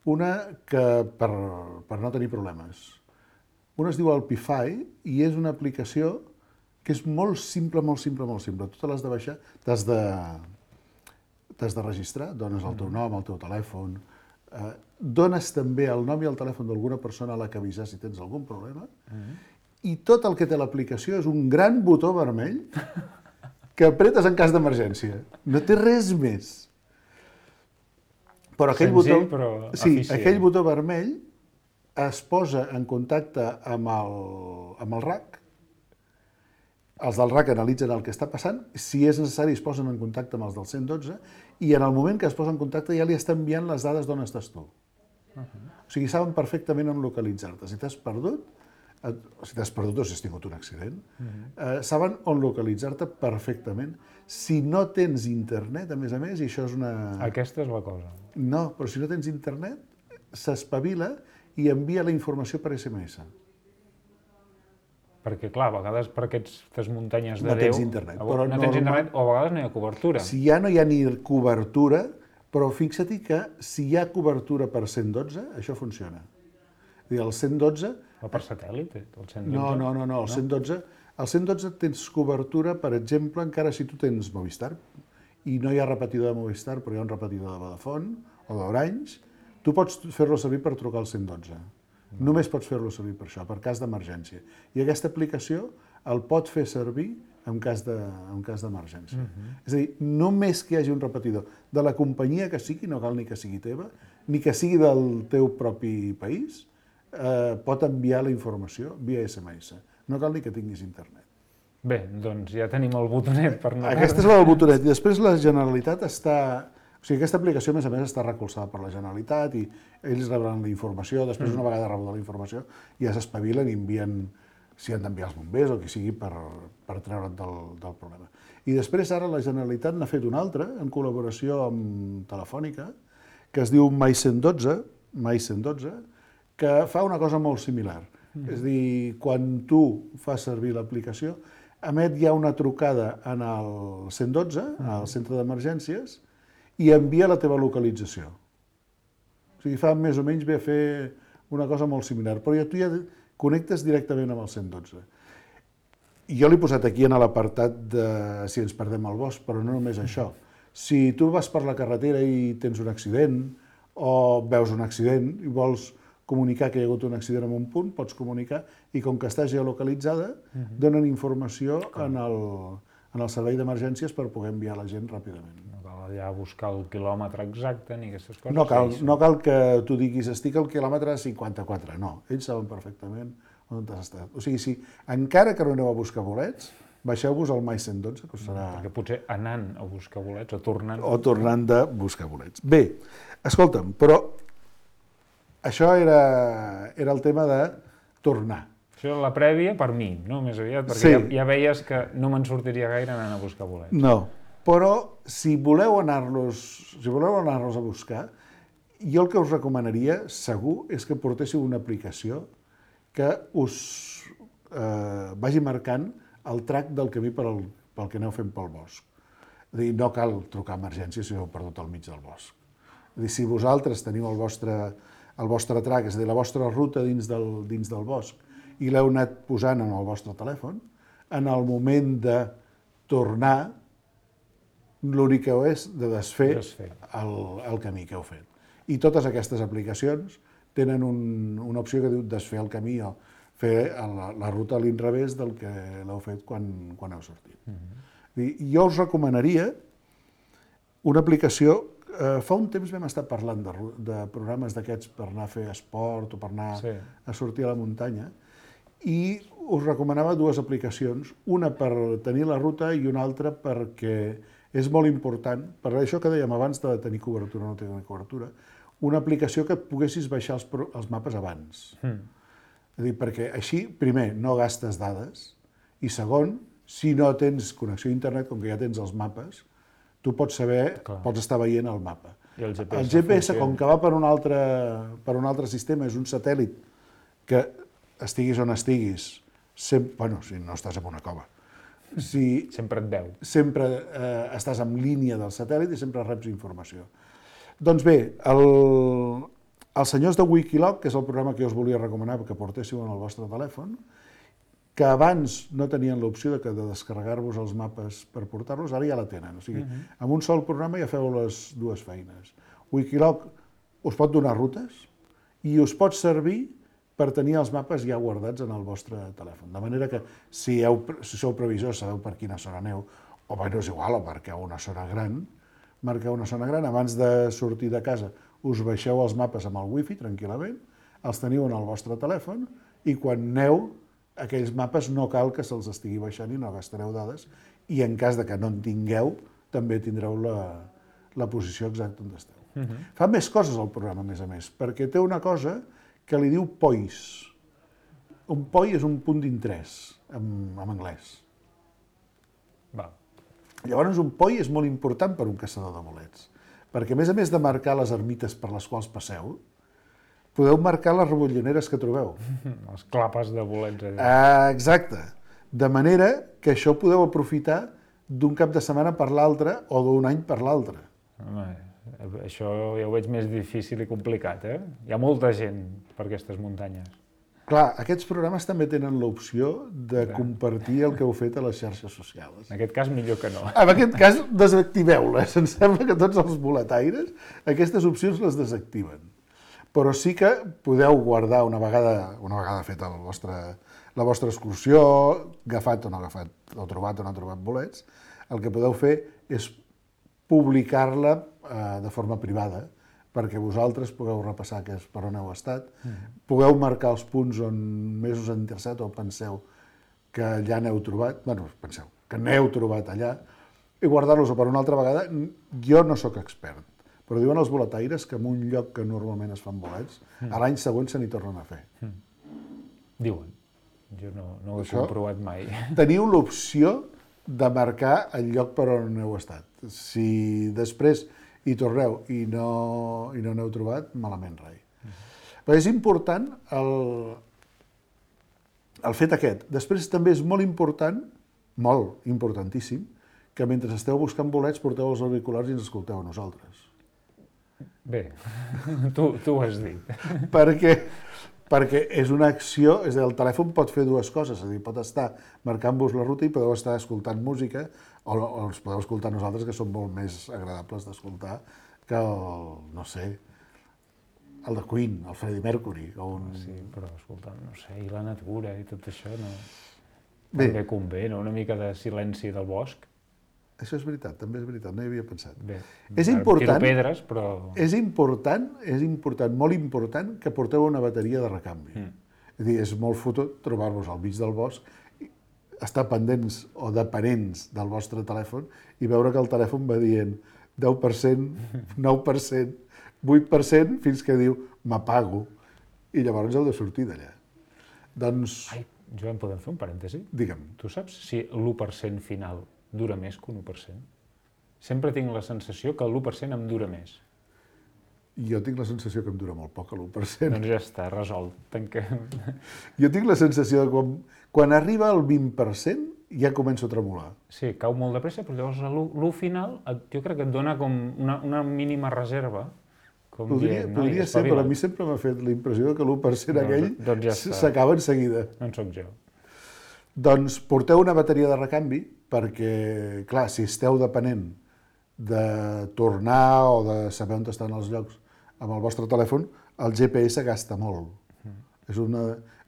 Una que per no tenir problemes. Una es diu Alpify i és una aplicació que és molt simple. Tu te l'has de baixar, t'has de registrar, dones el teu nom, el teu telèfon, dones també el nom i el telèfon d'alguna persona a la que avisar si tens algun problema, i tot el que té l'aplicació és un gran botó vermell que apretes en cas d'emergència. No té res més. Però aquell senzill, però eficient. Sí, aquell botó vermell es posa en contacte amb el RAC. Els del RAC analitzen el que està passant, si és necessari es posen en contacte amb els del 112 i en el moment que es posa en contacte ja li està enviant les dades d'on estàs tu. O sigui, saben perfectament on localitzar-te. Si t'has perdut, si t'has perdut o si has tingut un accident, saben on localitzar-te perfectament. Si no tens internet, a més, i això és una... Aquesta és la cosa. No, però si no tens internet, s'espavila i envia la informació per SMS. Perquè, clar, a vegades per aquestes muntanyes de No Déu... tens internet, però no tens internet o a vegades no hi ha cobertura. Si ja no hi ha ni cobertura, però fixa't que si hi ha cobertura per 112, això funciona. És a dir, el 112... O per satèl·lit, el 112? No, el 112... El 112 tens cobertura, per exemple, encara si tu tens Movistar, i no hi ha repetidor de Movistar, però hi ha un repetidor de Vodafone o d'Orange, tu pots fer-lo servir per trucar al 112. Només pots fer-lo servir per això, per cas d'emergència. I aquesta aplicació el pot fer servir en cas d'emergència. És a dir, només que hi hagi un repetidor de la companyia que sigui, no cal ni que sigui teva, ni que sigui del teu propi país, pot enviar la informació via SMS. No cal ni que tinguis internet. Bé, doncs ja tenim el botonet per anar... Aquesta és la del botonet. I després la Generalitat està... O sigui, aquesta aplicació, a més, està recolzada per la Generalitat i ells rebran la informació. Després, una vegada rebuda la informació, ja s'espavilen i envien, si han d'enviar els bombers o qui sigui, per treure't del problema. I després, ara, la Generalitat n'ha fet una altra, en col·laboració amb Telefònica, que es diu My 112, que fa una cosa molt similar. És a dir, quan tu fas servir l'aplicació, emet ja una trucada en el 112, al centre d'emergències, i envia la teva localització. O sigui, fa més o menys bé a fer una cosa molt similar, però tu ja connectes directament amb el 112. I jo l'he posat aquí en l'apartat de si ens perdem al bosc, però no només això. Si tu vas per la carretera i tens un accident, o veus un accident i vols comunicar que hi ha hagut un accident en un punt, pots comunicar, i com que està geolocalitzada, donen informació en el servei d'emergències per poder enviar la gent ràpidament. No cal allà buscar el quilòmetre exacte ni aquestes coses. No cal que tu diguis estic al quilòmetre 54, no. Ells saben perfectament on has estat. O sigui, si encara que no aneu a buscar bolets, baixeu-vos al My 112, que us serà... Perquè potser anant a buscar bolets o tornant... O tornant de buscar bolets. Bé, escolta'm, però això era el tema de tornar. Això és la prèvia per mi, no? Més aviat, perquè ja veies que no me'n sortiria gaire anant a buscar bolets. No, però si voleu anar-los a buscar, jo el que us recomanaria, segur, és que portéssiu una aplicació que us vagi marcant el track del camí pel que aneu fent pel bosc. És a dir, no cal trucar a emergències si heu perdut al mig del bosc. És a dir, si vosaltres teniu el vostre track, és a dir, la vostra ruta dins del bosc, i l'heu anat posant en el vostre telèfon, en el moment de tornar, l'únic que heu és de desfer el camí que heu fet. I totes aquestes aplicacions tenen una opció que diu desfer el camí o fer la ruta a l'inrevés del que l'heu fet quan heu sortit. Jo us recomanaria una aplicació. Fa un temps vam estar parlant de programes d'aquests per anar a fer esport o per anar a sortir a la muntanya, i us recomanava dues aplicacions, una per tenir la ruta i una altra perquè és molt important, per això que dèiem abans de tenir cobertura o no tenir cobertura, una aplicació que poguessis baixar els mapes abans. És a dir, perquè així, primer, no gastes dades, i segon, si no tens connexió a internet, com que ja tens els mapes, tu pots saber, pots estar veient el mapa. El GPS, com que va per un altre sistema, és un satèl·lit que estiguis on estiguis, bueno, si no estàs en una cova, sempre et veu. Sempre estàs en línia del satèl·lit i sempre reps informació. Doncs bé, els senyors de Wikiloc, que és el programa que jo us volia recomanar que portéssiu en el vostre telèfon, que abans no tenien l'opció de descarregar-vos els mapes per portar-los, ara ja la tenen. O sigui, amb un sol programa ja feu les dues feines. Wikiloc us pot donar rutes i us pot servir per tenir els mapes ja guardats en el vostre telèfon. De manera que si sou previsors, sabeu per quina zona aneu, o bé no és igual, o marqueu una zona gran, abans de sortir de casa us baixeu els mapes amb el wifi tranquil·lament, els teniu en el vostre telèfon i quan aneu, aquells mapes no cal que se'ls estigui baixant i no gastareu dades, i en cas de que no en tingueu, també tindreu la posició exacta on esteu. Fa més coses el programa, a més, perquè té una cosa que li diu Poise. un POI és un punt d'interès en anglès. Va. Llavors, un POI és molt important per un caçador de bolets, perquè a més de marcar les ermites per les quals passeu, podeu marcar les rebolloneres que trobeu. Les clapes de bolets. Exacte. De manera que això podeu aprofitar d'un cap de setmana per l'altre o d'un any per l'altre. Home, això ja ho veig més difícil i complicat, eh? Hi ha molta gent per aquestes muntanyes. Clar, aquests programes també tenen l'opció de compartir el que heu fet a les xarxes socials. En aquest cas, millor que no. En aquest cas, desactiveu-les. Em sembla que tots els boletaires aquestes opcions les desactiven. Però sí que podeu guardar una vegada feta la vostra excursió, agafat o no agafat, o trobat o no trobat bolets, el que podeu fer és publicar-la de forma privada, perquè vosaltres pugueu repassar per on heu estat, pugueu marcar els punts on més us ha interessat o penseu que allà n'heu trobat, penseu que n'heu trobat allà, i guardar-los per una altra vegada. Jo no sóc expert, però diuen els boletaires que en un lloc que normalment es fan bolets, a l'any següent se n'hi tornen a fer. Diuen. Jo no ho he comprovat mai. Teniu l'opció de marcar el lloc per on heu estat. Si després hi torneu i no n'heu trobat, malament rai. Però és important el fet aquest. Després també és molt important, molt importantíssim, que mentre esteu buscant bolets porteu els auriculars i ens escolteu a nosaltres. Bé, tu ho has dit. Perquè és una acció, és a dir, el telèfon pot fer dues coses, és a dir, pot estar marcant-vos la ruta i podeu estar escoltant música, o els podeu escoltar nosaltres, que són molt més agradables d'escoltar que no sé, el de Queen, el Freddie Mercury. Sí, però escolta, no sé, i la natura i tot això, no... Bé. També convé, no? Una mica de silenci del bosc. Això és veritat, també és veritat, no hi havia pensat. Bé, És important, tiro pedres, però... És important, molt important, que porteu una bateria de recanvi. És a dir, és molt fotut trobar-vos al mig del bosc, estar pendents o dependents del vostre telèfon i veure que el telèfon va dient 10%, 9%, 8%, fins que diu m'apago, i llavors heu de sortir d'allà. Doncs... Ai, Joan, podem fer un parèntesi? Digue'm. Tu saps si l'1% final dura més que un 1%? Sempre tinc la sensació que l'1% em dura més. Jo tinc la sensació que em dura molt poc, l'1%. Doncs ja està, resolt. Jo tinc la sensació de que quan arriba al 20% ja començo a tremolar. Sí, cau molt de pressa, però llavors l'1 final jo crec que et dona com una mínima reserva. Podria ser, però a mi sempre m'ha fet la impressió que l'1% aquell s'acaba en seguida. No en soc jo. Doncs porteu una bateria de recanvi perquè, clar, si esteu depenent de tornar o de saber on estan els llocs amb el vostre telèfon, el GPS gasta molt.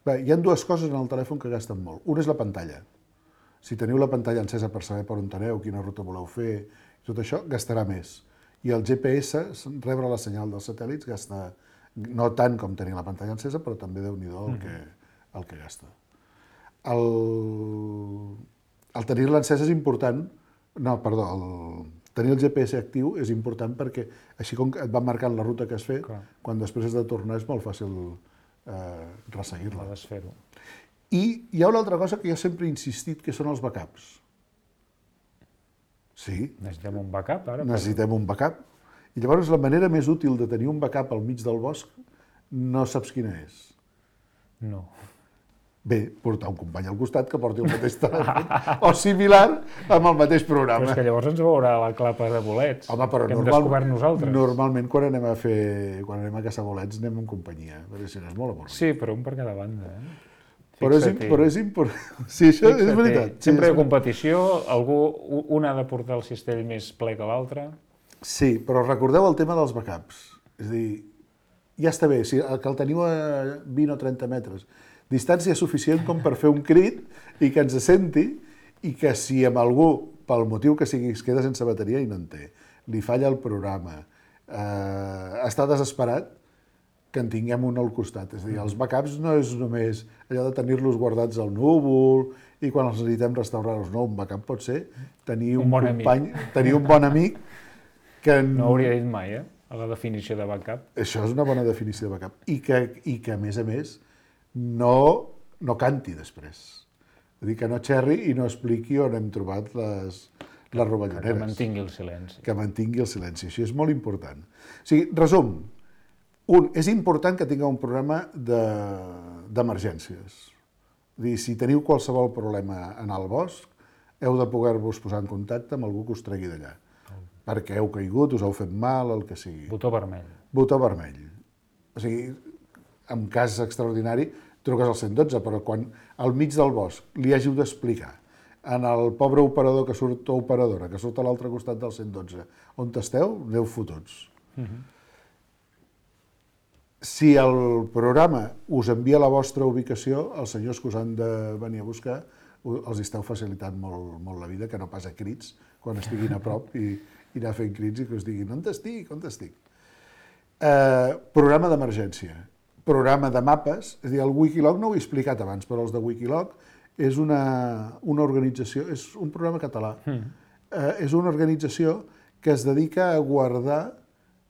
Bé, hi ha dues coses en el telèfon que gasten molt. Una és la pantalla. Si teniu la pantalla encesa per saber per on aneu, quina ruta voleu fer, tot això gastarà més. I el GPS, rebre la senyal dels satèl·lits, gasta no tant com tenir la pantalla encesa, però també Déu-n'hi-do el que gasta. El tenir-la encesa és important, tenir el GPS actiu és important perquè així com et va marcant la ruta que has fet, quan després has de tornar és molt fàcil resseguir-la. Desfer-ho. I hi ha una altra cosa que jo sempre he insistit, que són els backups. Sí. Necessitem un backup, ara? Necessitem un backup. I llavors la manera més útil de tenir un backup al mig del bosc no saps quina és. No. Bé, portar un company al costat que porti el mateix telèfon o similar amb el mateix programa. Però és que llavors ens veurà la clapa de bolets. Home, però que hem descobert nosaltres. Normalment quan anem a caçar bolets anem en companyia, perquè si no és molt avorrit. Sí, però un per cada banda. Però és important. Sí, això és veritat. Sempre hi ha competició, un ha de portar el cistell més ple que l'altre. Sí, però recordeu el tema dels backups. És a dir, ja està bé, que el teniu a 20 o 30 metres. Distància suficient com per fer un crit i que ens senti, i que si amb algú, pel motiu que sigui, es queda sense bateria i no en té, li falla el programa, està desesperat, que en tinguem un al costat. És a dir, els backups no és només allò de tenir-los guardats al núvol i quan els necessitem restaurar-los. No, un backup pot ser tenir un company, tenir un bon amic que... No hauria dit mai, a la definició de backup. Això és una bona definició de backup. I que a més, no no canti després. És a dir, que no xerri i no expliqui on hem trobat les rovelloneres. Que mantingui el silenci. Que mantingui el silenci. Això és molt important. O sigui, resum, és important que tingueu un programa d'emergències. És a dir, si teniu qualsevol problema en el bosc, heu de poder-vos posar en contacte amb algú que us tregui d'allà. Perquè heu caigut, us heu fet mal, el que sigui. Botó vermell. Botó vermell. O sigui, en cas extraordinari, truques al 112, però quan al mig del bosc li hàgiu d'explicar en el pobre operador que surt, o operadora, que surt a l'altre costat del 112, on esteu, aneu fotuts. Si el programa us envia la vostra ubicació, els senyors que us han de venir a buscar els esteu facilitant molt la vida, que no pas a crits, quan estiguin a prop i anar fent crits i que us diguin on estic, on estic. Programa d'emergència, programa de mapes, és a dir, el Wikiloc no ho he explicat abans, però els de Wikiloc és una organització, és un programa català, és una organització que es dedica a guardar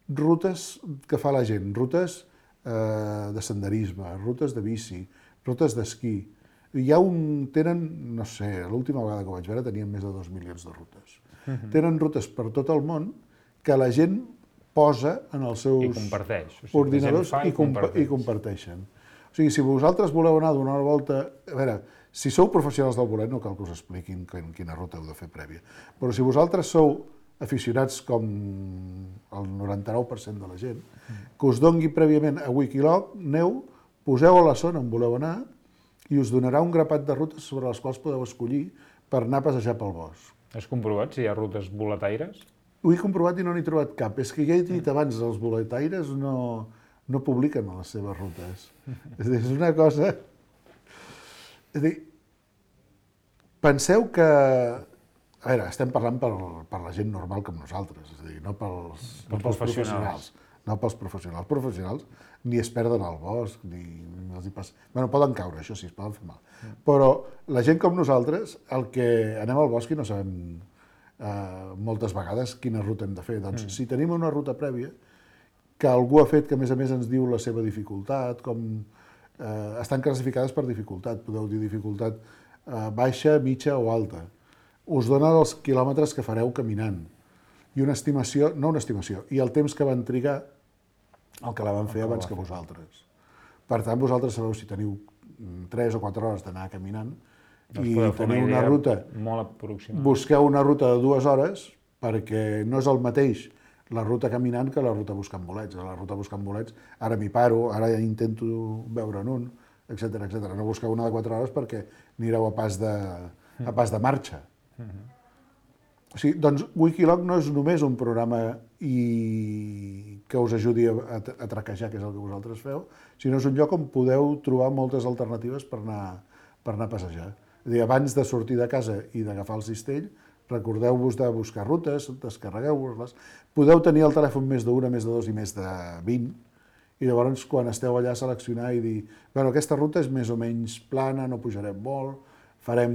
rutes que fa la gent, rutes de senderisme, rutes de bici, rutes d'esquí. Tenen, no sé, l'última vegada que ho vaig veure tenien més de 2 milions de rutes. Tenen rutes per tot el món que la gent posa en els seus ordinadors i comparteixen. O sigui, si vosaltres voleu anar a donar una volta... A veure, si sou professionals del bolet no cal que us expliquin quina ruta heu de fer prèvia, però si vosaltres sou aficionats com el 99% de la gent, que us dongui prèviament a Wikiloc, aneu, poseu a la zona on voleu anar i us donarà un grapat de rutes sobre les quals podeu escollir per anar a passejar pel bosc. Has comprovat si hi ha rutes boletaires? Ho he comprovat i no n'he trobat cap. És que ja he dit abans, els boletaires no publiquen les seves rutes. És una cosa... És a dir, penseu que... A veure, estem parlant per la gent normal com nosaltres, és a dir, no pels professionals. No pels professionals. Els professionals ni es perden al bosc, ni els hi passa... Bueno, poden caure, això sí, es poden fer mal. Però la gent com nosaltres, el que anem al bosc i no sabem moltes vegades quina ruta hem de fer. Doncs si tenim una ruta prèvia, que algú ha fet que a més ens diu la seva dificultat, estan classificades per dificultat, podeu dir dificultat baixa, mitja o alta. Us dona els quilòmetres que fareu caminant i una estimació, no una estimació, i el temps que van trigar el que la van fer abans que vosaltres. Per tant, vosaltres sabeu si teniu 3 o 4 hores d'anar caminant i teniu una ruta, busqueu una ruta de 2 hores perquè no és el mateix la ruta caminant que la ruta buscant bolets. La ruta buscant bolets, ara m'hi paro, ara intento veure en un, etc. No busqueu una de 4 hores perquè anireu a pas de marxa. O sigui, doncs Wikiloc no és només un programa que us ajudi a traquejar, que és el que vosaltres feu, sinó és un lloc on podeu trobar moltes alternatives per anar a passejar. És a dir, abans de sortir de casa i d'agafar el cistell, recordeu-vos de buscar rutes, descarregueu-vos-les, podeu tenir el telèfon més d'1, més de 2 i més de 20, i llavors quan esteu allà seleccionar i dir, bueno, aquesta ruta és més o menys plana, no pujarem molt, farem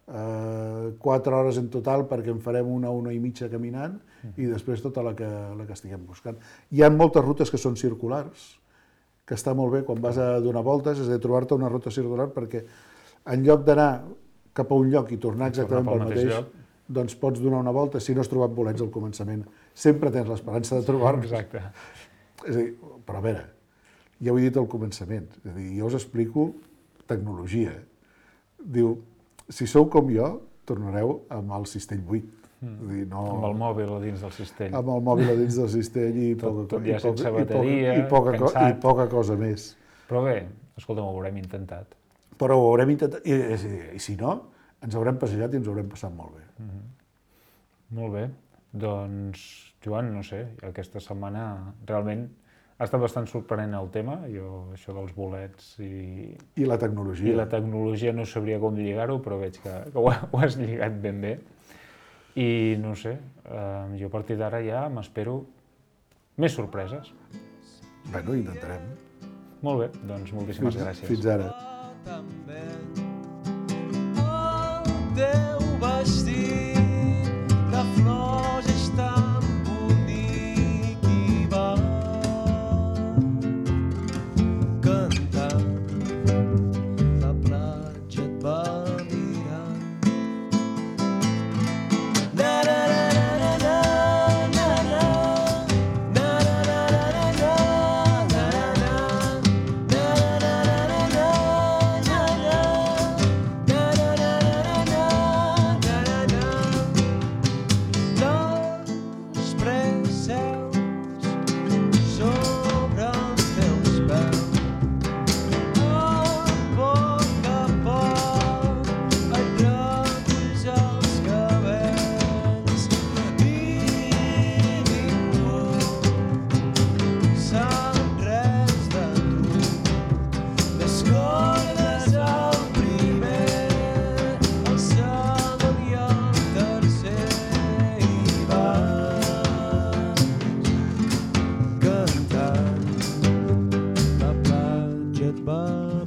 4 hores en total perquè en farem una i mitja caminant i després tota la que estiguem buscant. Hi ha moltes rutes que són circulars, que està molt bé quan vas a donar voltes, és a dir, trobar-te una ruta circular perquè en lloc d'anar cap a un lloc i tornar exactament pel mateix, doncs pots donar una volta si no has trobat bolets al començament. Sempre tens l'esperança de trobar-los. Exacte. És a dir, però a veure, ja ho he dit al començament, és a dir, jo us explico tecnologia. Diu, si sou com jo, tornareu amb el cistell buit. Amb el mòbil a dins del cistell. Amb el mòbil a dins del cistell i poca cosa més. Però bé, escolta'm, ho haurem intentat. Però ho haurem intentat, i si no, ens haurem passejat i ens haurem passat molt bé. Molt bé. Doncs, Joan, no sé, aquesta setmana realment ha estat bastant sorprenent el tema, això dels bolets i la tecnologia. I la tecnologia no sabria com lligar-ho, però veig que ho has lligat ben bé. I no sé, jo a partir d'ara ja m'espero més sorpreses. Bueno, intentarem. Molt bé, doncs moltíssimes gràcies. Fins ara. El teu vestit de flors és tan bonic i va cantant mal.